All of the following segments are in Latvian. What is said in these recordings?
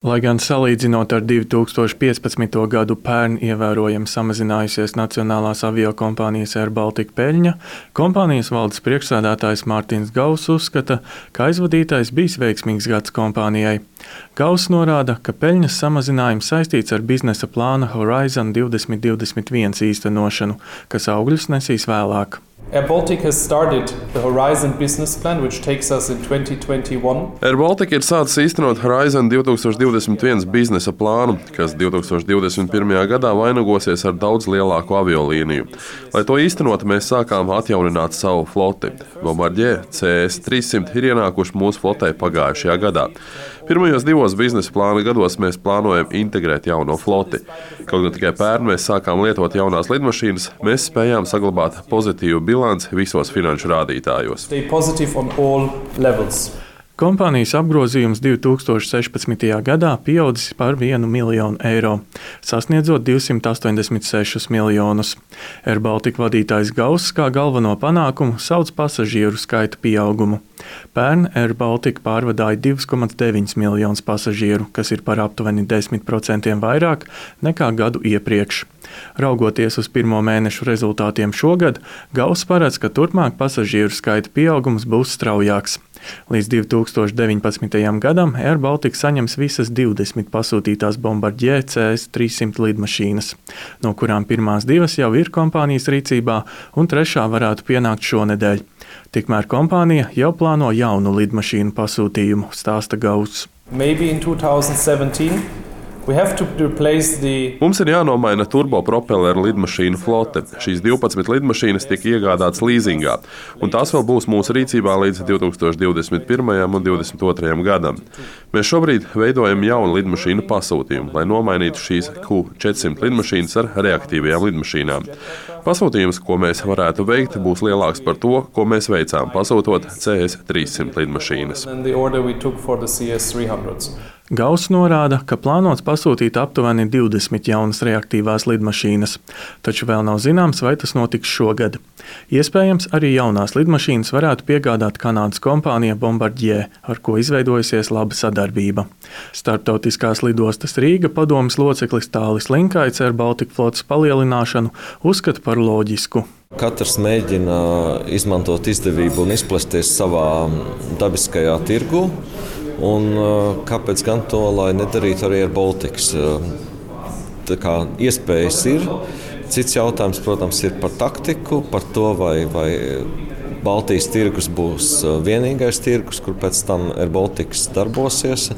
Lai gan salīdzinot ar 2015. gadu pērn ievērojami samazinājusies Nacionālās aviokompānijas Air Baltica peļņa, kompānijas valdes priekšsēdētājs Mārtiņš Gauss uzskata, ka aizvadītais bijis veiksmīgs gads kompānijai. Gauss norāda, ka peļņas samazinājums saistīts ar biznesa plāna Horizon 2021 īstenošanu, kas augļus nesīs vēlāk. Air Baltica has started the Horizon business plan, which takes us in 2021. Air Baltica ir sācis īstenot Horizon 2021 biznesa plānu, kas 2021. gadā vainagosies ar daudz lielāku aviolīniju. Lai to īstenot, mēs sākām atjaunināt savu floti. Bombardier CS-300 ir ienākuši mūsu flotē pagājušajā gadā. Pirmajos divos biznesa plāna gados mēs plānojam integrēt jauno floti. Kaut gan tikai pērn mēs sākām lietot jaunās lidmašīnas, mēs spējām saglabāt pozitīvu bilanci visos finanšu rādītājos. Kompānijas apgrozījums 2016. gadā pieaudzis par 1 miljonu eiro, sasniedzot 286 miljonus. Air Baltica vadītājs Gauss kā galveno panākumu sauc pasažieru skaita pieaugumu. Pērn Air Baltica pārvadāja 2,9 miljonus pasažieru, kas ir par aptuveni 10% vairāk nekā gadu iepriekš. Raugoties uz pirmo mēnešu rezultātiem šogad, Gauss paredz, ka turpmāk pasažieru skaita pieaugums būs straujāks. Līdz 2019. gadam Air Baltica saņems visas 20 pasūtītās Bombardier CS-300 lidmašīnas, no kurām pirmās 2 jau ir kompānijas rīcībā un 3. varētu pienākt šonedēļ. Tikmēr kompānija jau plāno jaunu lidmašīnu pasūtījumu, stāsta Gauss. Mums ir jānomaina turbopropeleru lidmašīnu flote. Šīs 12 lidmašīnas tika iegādātas līzingā, un tās vēl būs mūsu rīcībā līdz 2021. un 2022. gadam. Mēs šobrīd veidojam jaunu lidmašīnu pasūtījumu, lai nomainītu šīs Q400 lidmašīnas ar reaktīvajām lidmašīnām. Pasūtījums, ko mēs varētu veikt, būs lielāks par to, ko mēs veicām, pasūtot CS-300 lidmašīnas. Gauss norāda, ka plānots pasūtīt aptuveni 20 jaunas reaktīvās lidmašīnas, taču vēl nav zināms, vai tas notiks šogad. Iespējams, arī jaunās lidmašīnas varētu piegādāt Kanādas kompānija Bombardier, ar ko izveidojusies laba sadarbība. Starptautiskās lidostas Rīga padomes loceklis Tālis Linkaits Air Baltica flotes palielināšanu uzskata par loģisku. Katrs mēģina izmantot izdevību un izplesties savā dabiskajā tirgu. Un kāpēc gan to, lai nedarītu arī ar Baltikas? Tā kā iespējas ir. Cits jautājums, protams, ir par taktiku, par to, vai Baltijas tirgus būs vienīgais tirgus, kur pēc tam Air Baltikas darbosies.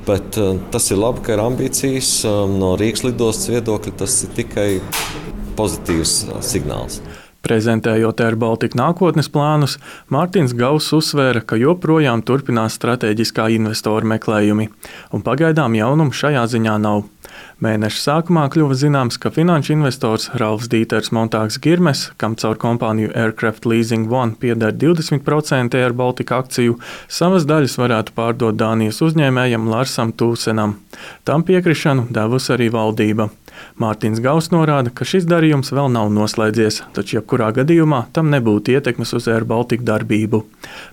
Bet tas ir labi, ka ir ambīcijas. No Rīgas lidostas viedokļa tas ir tikai pozitīvs signāls. Prezentējot Air Baltica nākotnes plānus, Mārtiņš Gauss uzsvēra, ka joprojām turpinās strateģiskā investoru meklējumi, un pagaidām jaunumu šajā ziņā nav. Mēneša sākumā kļuva zināms, ka finanšu investors Ralfs Dīters Montāgs Girmes, kam caur kompāniju Aircraft Leasing One pieder 20% Air Baltica akciju, savas daļas varētu pārdot Dānijas uzņēmējam Larsam Tūsenam. Tam piekrišanu devusi arī valdība. Mārtiņš Gauss norāda, ka šis darījums vēl nav noslēdzies, taču jebkurā gadījumā tam nebūtu ietekmes uz Air Baltica darbību.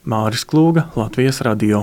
Māris Klūga, Latvijas radio.